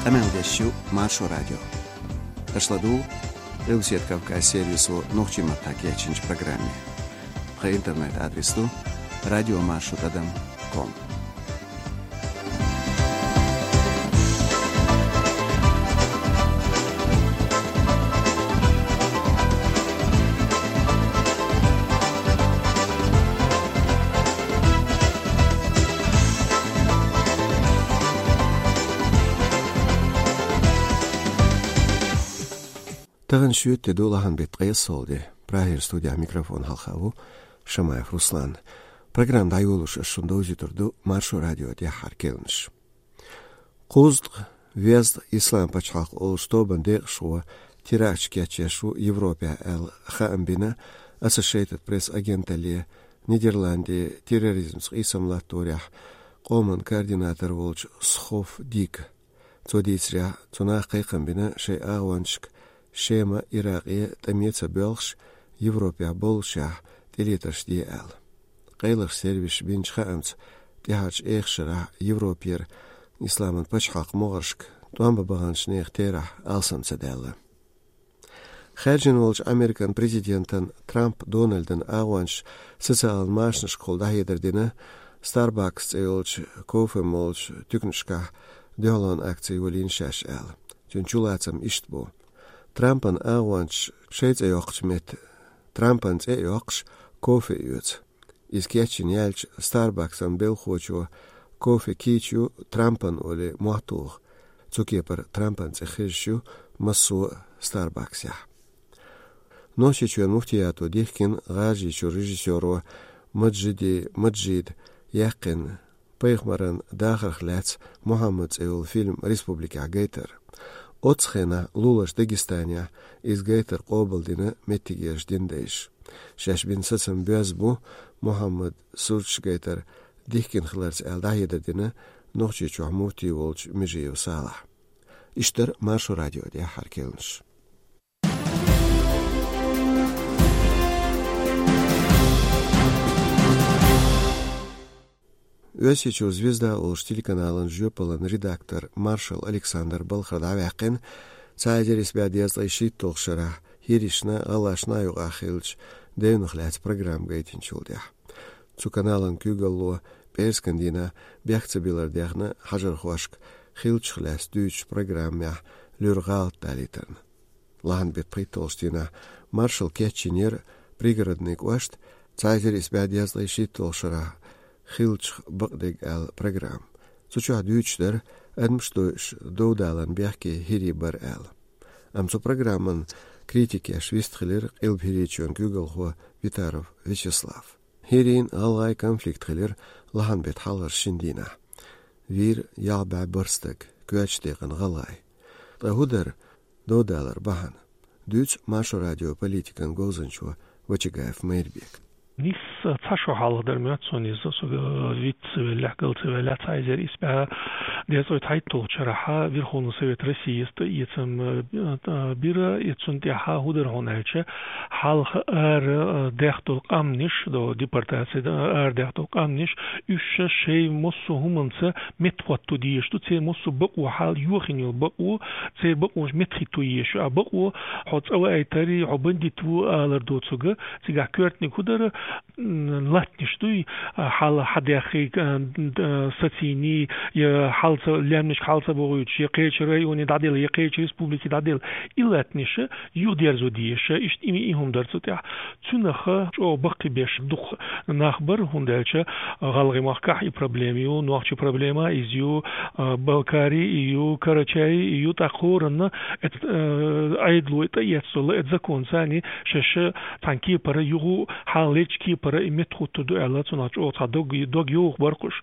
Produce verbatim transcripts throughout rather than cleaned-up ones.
Къамел деш ю Маршо радио. Аша ладугӀу Къилбаседа Кавказ сервисо нохчийн маттахь кечйинчу программе. Тхан интернет-адрес ду радиомаршо тӀадам ком. Тахана шоьтан де ду, лахьан беттан ткъе исс де. Прагера студехь микрофон хьалха ву Шамаев Руслан. Программа дӀайолош ас шуна довзуьйтур ду Маршо радион тӀаьххьара керланаш. Кхузткъа везткъа Ислам пачхьалкх олучу тобанан декъашхо теракташ кечъеш ву Европехь аьлла хаам бина Associated Press агенталле Нидерландийн терроризмца къийсам латторехь къоман координатор волчу Схоф Дика. Цо дийцарехь, цу наха кхайкхам бина шайн агӀончашка Шема, Иракъе тӀаме ца боьлхуш, Европехь боллушехь тӀелетарш де аьлла. Къайлахчу сервисаша бинчу хаамца, тӀаьхьарчу эха шарахь Европера исламан пачхьалкх могӀаршка тӀом бан баханчу нехан терахь алсам ца даьлла. Хаьржина волчу Американ президентан Трамп Дональдан агӀончаша социалан машанашкахула дӀахьедар дина Starbucks цӀе йолчу кофе молучу туьканашкахь дуьхьалонан акци йолийна шаьш аьлла. Цуьнан чулацам иштта бу: Трампан агӀончаша шайн цӀе йоккхучу метта Трампан цӀе а йоккхуш, кофе а оьцу. Иза кечйина яьлча, Starbucks-ан белхахочо кофе кийча ю Трампан олий мотт вуху. Цу кепара Трампан цӀе хезаш ю массо а Starbucks-ехь. Нохчийчоьнан муфтиято дихкина ГӀажарийчуьра режиссёро Маджиди Маджида яьккхина пайхамаран дахарх лаьцна Мухьаммад цӀе йолу фильм республикехь гайтар. Оццу хенахь луларчу Дагестанехь иза гайтар къобалдина меттигерчу динан дайша. Шаьш бина сацам боьзна бу Мухьаммад сурташ гайтар дихкина хиларца аьлла дӀахьедар дина Нохчийчохь муфти волчу Межиев Салахьа. Иштта дара Маршо радион тӀаьххьара керланаш. Оьрсийчуьра «Звезда» олучу телеканалан жоьпалан редактор Маршал Александр балхара дӀаваьккхина цхьа эзар исс бӀе дезткъе шийтталгӀачу шарахь хӀиришна, гӀалашна а юкъахь хиллачу девнах лаьцна программа гайтинчул тӀаьхьа. Цу каналан куьйгалло пӀераскан дийнахь бехк ца билар дехна хьажархошка хиллачух лаьцна дуьйцучу программехь луьра гӀалат далийтарна. Лахьан беттан пхийтталгӀачу дийнахь Маршала кечйинера Пригородный кӀошта цхьа эзар исс бӀе дезткъе шийтталгӀачу шарахь хиллачух бакъдерг аьлла программа. Цу чохь дуьйцуш дара адамаш дойуш дов-далан бехке хӀирий бара аьлла. Амма цу программан критика еш вистхилира Къилба ХӀирийчоьнан куьйгалхо Витаров Вячеслав. ХӀирийн, гӀалгӀайн конфликт хилира лахьан беттан хьалхарчу шина дийнахь. Вийра ялх бӀе бархӀ стаг, коьртачу декъана гӀалгӀай. Ткъа хӀун дара дов-далар бахьана? Дуьйцу Маршо радион политикан говзанчо Вачагаев Майрбека. Нийса цхьа шо хьалха дара моьтту суна иза, со виц ца веллехь, гал ца веллехь, цхьа эзар исс бӀе дезткъе цхьайтталгӀачу шарахь Верховный Совет России тӀаэцам, э, э, бира, и цунна тӀаьхьа хӀун дара хьуна аьлча, хьалха ара, э, даьхна долу къаьмнаш, до депортации, да, ара даьхна долу къаьмнаш, уьш шайн массо а хӀуманца меттахӀотто дезаш ду, церан массо а бакъо, хьал йохийна йолу бакъо, церан бакъонаш меттахӀитто езаш ю. А бакъо хьо цӀа ваийтарий, хьо бандит ву алар доцург, цигахь коьртаниг хӀун дара, м, латтанаш дуй, а, хьал хьадаьххий, а, д-, а, сацийний, я хьал ца, лаьмнашка хьал ца бохуьйтуш, я кхечу районе дӀаделла, я кхечу республике дӀаделла. И латтанаш юхадерзо дезаш, иштта и, и хӀума дара цу тӀехь. Цунах чӀогӀа баккхийбеш дукха нах бара, хӀунда аьлча ГӀалгӀай махкахь и проблема ю, нохчийн проблема иза ю, а, Балкари и ю, Карачай и ю, тӀаккха хӀоранна эт-, а, Ӏедало тӀаэцна долу эт законца царна шаьш цхьана кепара юха хьалха леллачу кепара и меттахӀуттур ду аьлла, цунах чӀогӀа цхьа дог, дог йовха бара кхуш.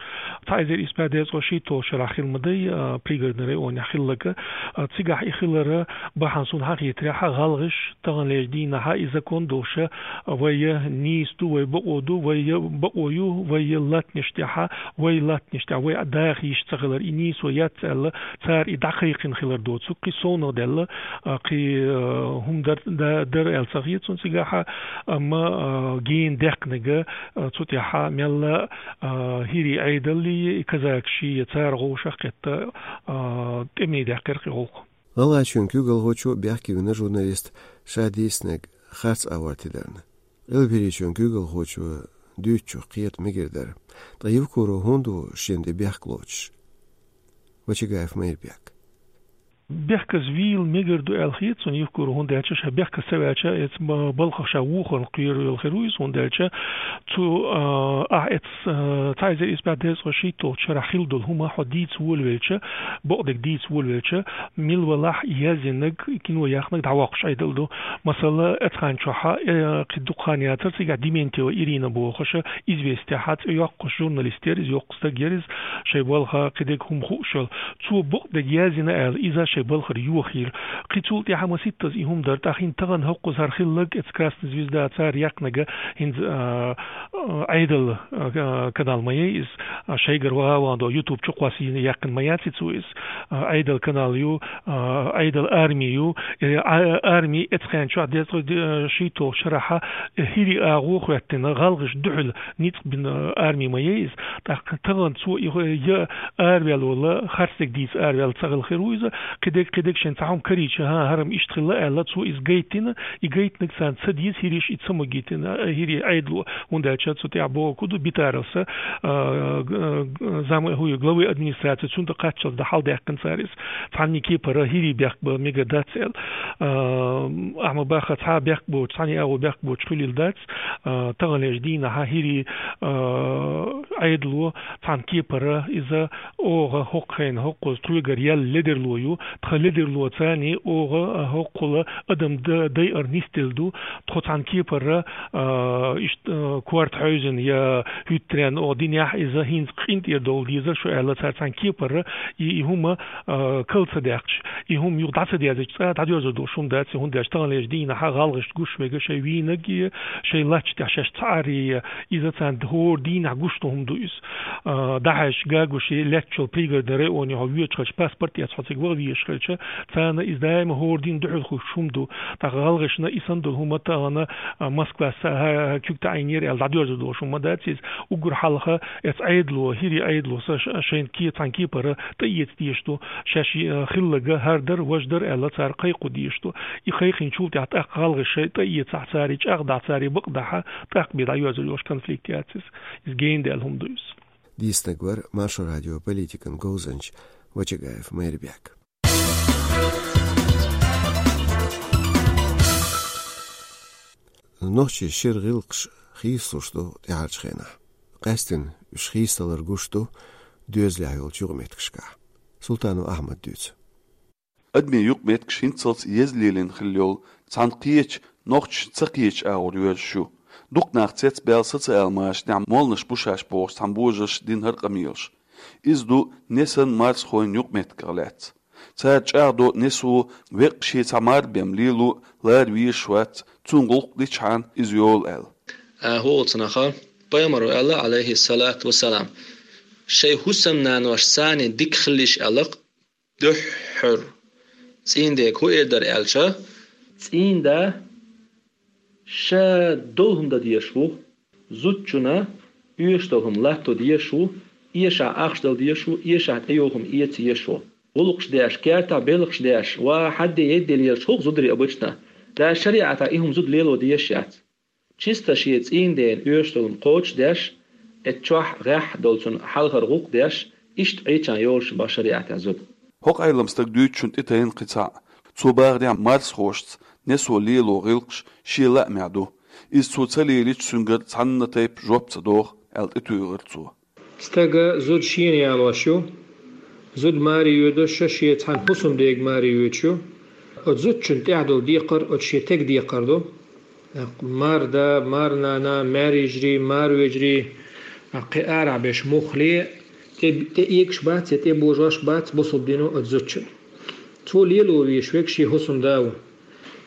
Цхьа эзар исс бӀе дезткъе шийтталгӀачу шарахь хилла ма дай, а, Пригородный районехь хилларг, а, цигахь и хилар бахьана суна хьан хетарехь, гӀалгӀаш таханлерчу дийнахь и закон долуш, вай нийса ду, вай бакъо ду, вай Я бакъо ю вай я латтанаш тӀехьа, вай латтанаш тӀехьа, вай даха йиш ца хилар, и нийсо яц аьлла, цара и дӀакхайкхина хилар доцург, кхин совнагӀа даьлла, а, кхин, а, хӀума дар, да-, дар аьлла ца хета цунна цигахьа, амма, а, гена даьккхинарг, а, цу тӀехьа мелла, а, хӀирий Ӏедаллий, и казакаший, я цара гӀовшах кхетта, а, тӀеме даьккхира кхин гӀулакх. ГӀалгӀайчоьнан куьйгалхочо бехке вина журналист ша дийцинарг харц агӀор тидарна. Къилберийчоьнан куьйгалхочо дуьйцучух кхета мегар дара. Ткъа Евкуров хӀунда ву шен тӀе бехк лоцуш? Вачагаев Майрбек. Бехказа вийла мегар ду аьлла хета цунна Евкурова, хӀунда аьлча ша бехказа ца ваьлча, эца ма-, балхах ша вухарна кхоьруш йолу хир ву иза, хӀунда аьлча цу, а, ахь эца, а, цхьа эзар исс бӀе дезткъе шийтталгӀачу шарахь хилла долу хӀума хьо дийца волавелча, бакъдерг дийца волавелча, мила валахь яздинарг, кино яхнарг дӀавоккхуш Ӏедал ду. Масала, эцхьан чохьа, э, кхин дукха хан яцара, цигахь Дементьева Ирина бохуша, «Известияхьа» цӀе йоккхуш журналист яра иза, йоккха стаг яра иза, шайн балха кхидерг хӀума хууш йолу. Цо бакъдерг яздина аьлла, иза шайн балхара йохийра. Кхин цул тӀаьхьа маситтаза и хӀума дара. ТӀаккха хӀинца тахана хӀокхуза хӀара хилларг, эца «Красная звезда» цара яьккхинарг, хӀинца, а, а, Ӏедал, а, канал ма яй иза, а, шайгара ваха ван до YouTube чу кхоссийна яьккхина ма яц и цо иза. А, Ӏедал канал ю, а, Ӏедал арми ю. Э, а, арми эцхьан чохь дезткъе шийтталгӀачу шарахьа, э, хӀирий агӀо хӀоьттина, гӀалгӀаш дуьхьал ницкъ бина арми ма яй иза. ТӀаккха тахана цо и хӀо-, я араваьлла вала, харцдерг дийца араваьлла ца хилла хир ву иза, кхидерг, кхидерг шен цхьа хӀума карийча, хӀан, хӀара-м иштта хилла аьлла, цо иза гайтина, и гайтинарг царна ца деза, хӀирийша и ца магийтина, а, хӀирий Ӏедало, хӀунда аьлча цу тӀехь бохург ду, Битарелса, а, г-, г-, зам-, хӀу-, главы администрации цунна тӀе кхаччалц дӀа хьалдаьккхина цара иза. Цхьанна кепара хӀирий бехк бан мегар дац аьлла. А, ахьа ма баха цхьа бехк боцуш, цхьанна агӀо бехк боцуш хуьлийла дац. А, таханлерчу дийнахьа хӀирий, а, Ӏедало цхьана кепара иза оха хӀокху хенахь хӀокхуза тхоьгара яьлла ледарло ю, тхан ледарлоца оха, а, хӀокхула адам д-, дайар нисделла ду, тхо цхьана кепара, а, иштта, а, корта хьевзина я хӀуьттаренна оха динехь иза хӀинца къинтӀера довла дезара шу аьлла, цара цхьана кепара и, и хӀума, а, кал ца даьккхича, и хӀума юха дӀа ца дезача цкъа дӀадоьрзур долуш хӀума дац, хӀунда аьлча таханлерчу дийнахьа гӀалгӀашна гуш мега шайн вийнарг а, шайн латта тӀехь шаьш ца Ӏар а, иза царна хӀора дийнахь гуш долу хӀума ду иза. А, дӀахьаьжча гагуш лаьттачул Пригородный районе хьо воьдуш хилча, паспорт эцна хьо цига ваха везаш хилча, царна иза даима хӀора дийнахь дуьхьал хуьлуш хӀума ду. ТӀаккха гӀалгӀашна и санна долу хӀума тахана, а, Москвас, а, куьг таӀийнера аьлла дӀадоьрзур долуш хӀума дац иза. Уггар хьалха эца Ӏедало, хӀирий Ӏедало сан ш-, шайна ке-, цхьана кепара тӀеэца дезаш ду. Шаьш, а, хилларг хӀара дара, важа дара аьлла, цара кхайкхо дезаш ду. И кхайкхинчул тӀаьхьа тӀаккха гӀалгӀаша шайн тӀеэцахь, цара чӀагӀдахь, цара бакъдахь, тӀаккха бен дӀайоьрзур йолуш конфликт яц иза. Иза гена даьлла хӀума ду иза. Дийцинарг вара Маршо радион политикан говзанча Вачагаев Майрбек. Нохчийн шира гӀиллакхаш хийцалуш ду тӀаьхьарчу хенахь. Къаьсттина уьш хийцадалар гуш ду доьзалехь йолчу юкъаметтигашкахь. Султанов Ахьмада дуьйцу. Адамийн юкъаметтигаш хӀинццалц еза лелийна хилла йолу цхьана кхечу, нохчашна ца кхечу агӀор йоьрзуш ю. Дукха нах цецбаьлла социал машанехь молланаш бу шаьш бохуш цхьана божарша дина хӀара къамелаш. Иза ду несанан марсхойн юкъаметтигах лаьцна. Цара чӀагӀдо несо веккъа шен цхьа марбен лело лара везаш вац, цунна гӀуллакх дичхьана иза йолу аьлла. ХӀокху цхьанахьа пайхамаро аьлла, Ӏалайхиссалату вассалам: «Шайн хӀусамнаношца дика хилалаш», аьлла-кх. Дуьххьара цӀийнан дега хӀун эр дара аьлча, цӀийнан да ша долу хӀума дан дезаш ву, зудчунна оьшуш долу хӀума латто дезаш ву, эшахь ахча дала дезаш ву, эшахь тӀейогӀу хӀума эца езаш ву. ГӀуллакхаш деш, кертахь белхаш деш, ва хьадде едде лелаш хӀокху зударий обычно. Ша шариӀатехь и хӀума зуда лело дезаш яц. Чисто шен цӀийнан дена оьшуш долу хӀума кхочушдеш, эццахь гӀеххьа долчунна хьалхара гӀуллакх деш, иштта Ӏийча йолуш бу шариӀатехь зуда. ХӀокху Ӏелам стага дуьйцучунна тӀетайна кхин цхьаъ. Цо бахарехь, марсхошца несо лело гӀиллакхаш шен лаамехь ду. Иза цо ца лелийча, цуьнгара цхьанна тайпа жоп ца доху, аьлла тӀетуьйхира цо. Стага зуда шена ялош ю. Зуда маре йоьдуш шен цхьана хӀусамдега маре йоьдуш ю. Оцу зудчунна тӀехь долу декхар оцу шен тега декхар ду. Марда, марнана, маьрйижарий, марвежарий, кхин арахь берш муххале, тӀе, тӀеэгаш бац я тӀебожош бац бусалба дино оцу зудчунна. Цо лело везаш верг шен хӀусамда ву.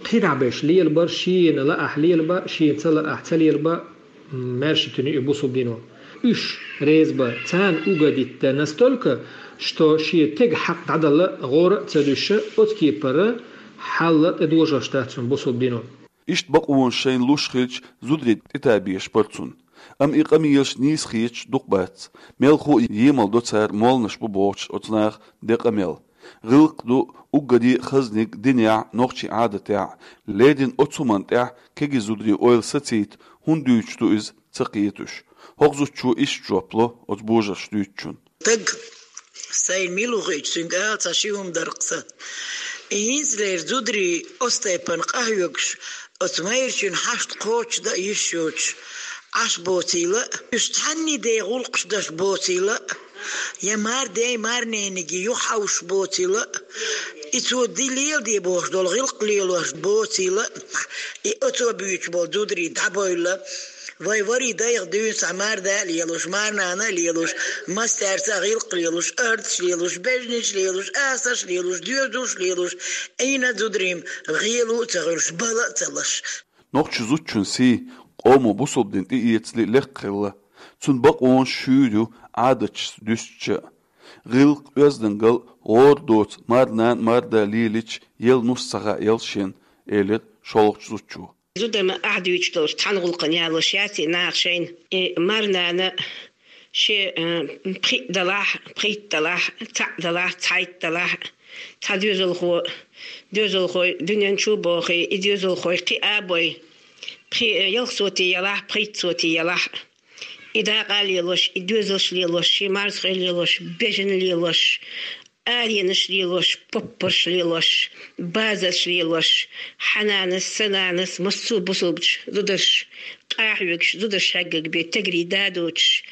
КхидӀа берш лелабар, шена лаахь лелаба, шена ца лаахь ца лелаба, Маьрша туьне и бусалба дино. Уьш реза ба, царна угодить де настолько, что шен тега хьакъ дӀадала гӀора а ца дуьсуш, оцу кепара хьал а тӀедожош дац цунна бусалба дино. Иштта бакъонаш шайна луш хилча, зударий тӀетабеш бара цунна. Амма и къамелаш нийса хеташ дукха бац. Мелхо а емал до цара молланаш бу бохучу оцу наха де къамел. ГӀиллакх ду уггаре а хазниг динехь, нохчийн Ӏадатехь, леррина оцу хӀуманна тӀехь кегий зударийн ойла сацийта, хӀунда дуьйцуш ду иза ца кхеташ. ХӀокху зудчо иштта жоп ло оцу божарша дуьйцучунна. Стаг сайна мила ву хиъча, цуьнга ала ца ши хӀума дарх сан. И хӀинцалера зударий оцу тайпана къахьоьгуш, оцу майрачун хьашт кхочушдан йиш йоцуш, Ӏаш боцийла а, уьш цхьанний де гӀуллакхаш даш боцийла а, я мардай марнениг юха хьовш боцийла а, и цо ди леладе бохуш долу гӀиллакх лелош боцийла а, и оцо буьйцуш болу зударий дӀабойла, вай варий дайх дуьйна схьа марда а лелуш, марнана а лелуш, мастаьрца а гӀиллакх лелуш, ардаш лелуш, бежнаш лелуш, асарш лелуш, доьзалш лелуш, Ӏийна зударий гӀело а ца гӀуьрш, бала а ца лаш. Нохчийн зудчун сий къомо бусалба дин тӀеэцале лекха хилла. Цуьнан бакъонаш шуьйра ю, Ӏадаташ дуьстича а. ГӀиллакх, оьздангалла, гӀора доцу марнана а, марда а лелийча, елла нус ца хаьа ялшен, элира шолгӀачу зудчо. Зуда ма ахь дуьйцуш долуш цхьана гӀуллакхана ялош яц и наха шайна. И марнана шен, э, пхиъ далахь, пхийтта далахь, цхьаъ далахь, цхьайтта далахь, цхьа доьзалхо, доьзалхой дуьнен чу а бохий, и доьзалхой кхиа а бой, пхи-, э, ялх соти ялахь, пхийтта соти ялахь. И дакъа а лелош, и доьзалш лелош, шен марзхой лелош, бежан лелош, аренаш лелош, поппарш лелош, базарш лелош, хьан нанас, сан нанас, массо а бусалбачу зударш, къахьоьгуш, зударш хьеггаг бен тегри да а доцуш,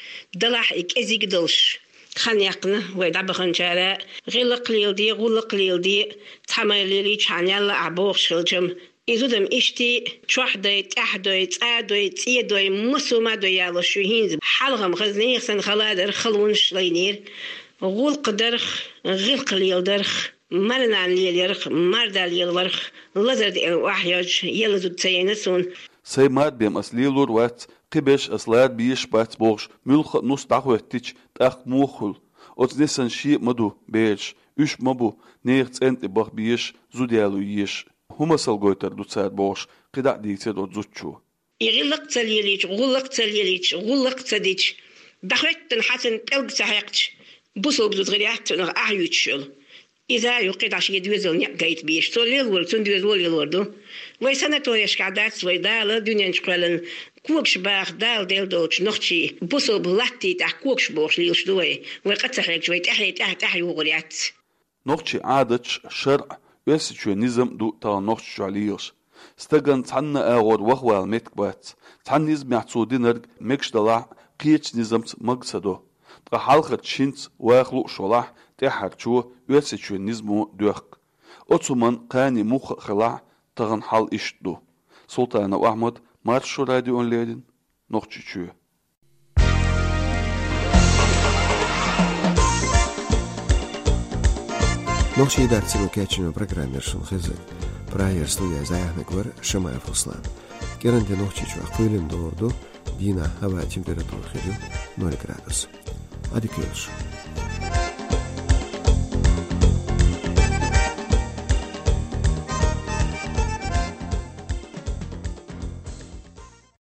далахь и кӀезиг а долуш. Хан яьккхина вай дӀабаханчара, гӀиллакх леладе, гӀуллакх леладе, цхьа майра лелийчхьана ялла ахь бохуш хилчам, и зудам иштта чохь дой, тӀаьхьа дой, цӀа дой, цӀе дой, массо а ма дой ялош ю хӀинца. Хьалха-м хаза нехан санна хала дара, халонаш лайнера. ГӀуллакх дарх, гӀиллакх леладарх, марнана лелаярх, марда лелаварх, лазар деана охьайоьжча, елла зуда ца яйна суна. Сайн марбен ас лелор вац, кхин берш ас лара безаш бац бохуш, муьлхха а нус дӀахӀоьттича, тӀаккха муха хуьлу? Оцу несана шен а ма ду бераш, уьш ма бу, нехан цӀен тӀе баха безаш, зуда яло езаш. ХӀун масал гойтур ду цара бохуш, кхидӀа а дийцира оцу зудчо. И гӀиллакх ца лелийча, гӀуллакх ца лелийча, гӀуллакх ца дича, дӀахӀоьттина хьацан пӀелг ца хьекхча, бусалба зуда гӀир яц цунах ахь юьйцуш йолу. Иза а ю кхидӀа шен доьзал некъ гайта безаш. Цо лелор, цунна доьзало лелор ду. Вай санаторешкахь дац вай, Дала дуьнен чу кхоьллина, когаш баха Дала делла долчу нохчийн бусалба латта тӀехь когаш бохуш лелаш ду вай. Вай къа ца хьегча, вай тӀаьхье-тӀаьхьа-тӀаьхьа югӀур яц. Нохчийн Ӏадаташ, шарӀ, Оьрсийчоьнан низам а ду тахана Нохчийчохь лелаш. Стагана цхьанна а агӀор вахавала меттиг бац. Цхьана низамехь цо динарг мегаш далахь а, кхечу низамца мага ца до. Ткъа хьалхарчу шинца ваха лууш валахь а, тӀаьххьарчо Оьрсийчоьнан низамо доьхку. Оцу хӀуманна кхане мухха а хилахь а, тахана хьал иштта ду. Султанов Ахьмад, Маршо радиона леррина, Нохчийчоь. Нохчийн дарцаро кечйина программа яра шуна хезар. Прагера студехь яьхьнарг вара Шамаев Руслан. КӀиран де Нохчийчохь кхоьлина догӀур ду, дийнахь хӀаваан температура хир ю ноль градус. Ӏадика йойла шун.